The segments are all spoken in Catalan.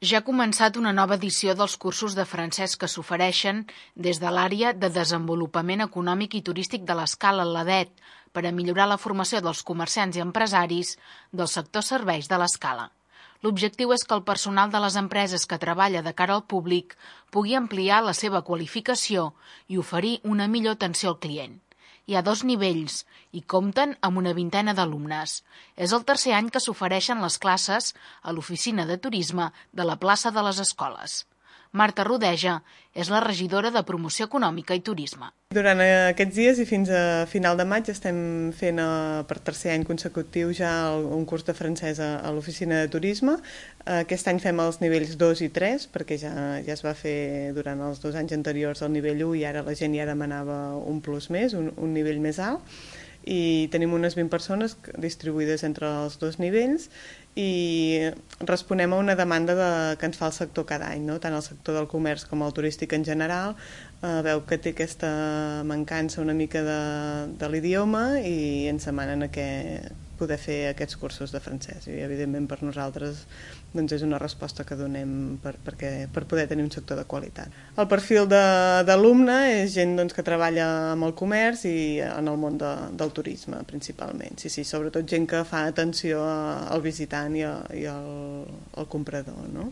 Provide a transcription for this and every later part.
Ja ha començat una nova edició dels cursos de francès que s'ofereixen des de l'àrea de desenvolupament econòmic i turístic de l'Escala, l'ADET, per a millorar la formació dels comerciants i empresaris del sector serveis de l'Escala. L'objectiu és que el personal de les empreses que treballa de cara al públic pugui ampliar la seva qualificació i oferir una millor atenció al client. Hi ha 2 nivells i compten amb una vintena d'alumnes. És el tercer any que s'ofereixen les classes a l'Oficina de Turisme de la plaça de les Escoles. Marta Rodeja és la regidora de Promoció Econòmica i Turisme. Durant aquests dies i fins a final de maig estem fent per tercer any consecutiu ja un curs de francès a l'Oficina de Turisme. Aquest any fem els nivells 2 i 3 perquè ja es va fer durant els 2 anys anteriors el nivell 1 i ara la gent ja demanava un plus més, un nivell més alt. I tenim unes 20 persones distribuïdes entre els 2 nivells i responem a una demanda que ens fa el sector cada any, no? Tant el sector del comerç com el turístic en general veu que té aquesta mancança una mica de l'idioma i ens demanen poder fer aquests cursos de francès i evidentment per nosaltres doncs és una resposta que donem per poder tenir un sector de qualitat. El perfil d'alumne és gent doncs, que treballa amb el comerç i en el món del turisme principalment. Sí, sobretot gent que fa atenció al visitant i al comprador, no?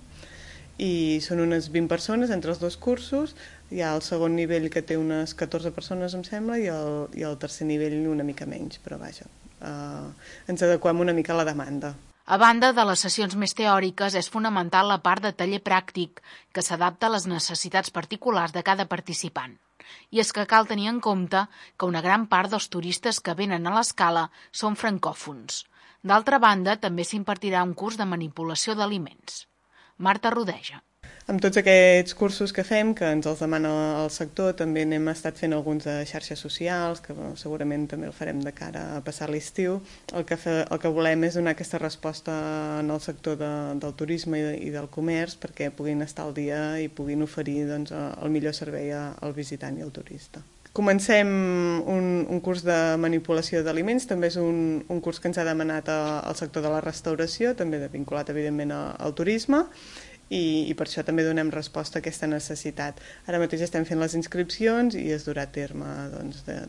I són unes 20 persones entre els 2 cursos. Hi ha el segon nivell que té unes 14 persones, em sembla, i el tercer nivell una mica menys, però vaja, ens adequem una mica a la demanda. A banda de les sessions més teòriques, és fonamental la part de taller pràctic, que s'adapta a les necessitats particulars de cada participant. I és que cal tenir en compte que una gran part dels turistes que venen a l'Escala són francòfons. D'altra banda, també s'impartirà un curs de manipulació d'aliments. Marta Rodeja. Amb tots aquests cursos que fem, que ens els demana el sector, també n'hem estat fent alguns de xarxes socials, que segurament també el farem de cara a passar l'estiu. El que volem és donar aquesta resposta en el sector del turisme i del comerç perquè puguin estar al dia i puguin oferir doncs, el millor servei al visitant i al turista. Comencem un curs de manipulació d'aliments, també és un curs que ens ha demanat el sector de la restauració, també vinculat evidentment al turisme, i per això també donem resposta a aquesta necessitat. Ara mateix estem fent les inscripcions i es durà a terme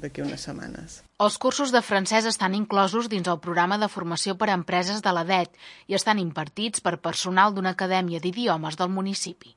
d'aquí unes setmanes. Els cursos de francès estan inclosos dins el programa de formació per a empreses de l'ADET i estan impartits per personal d'una acadèmia d'idiomes del municipi.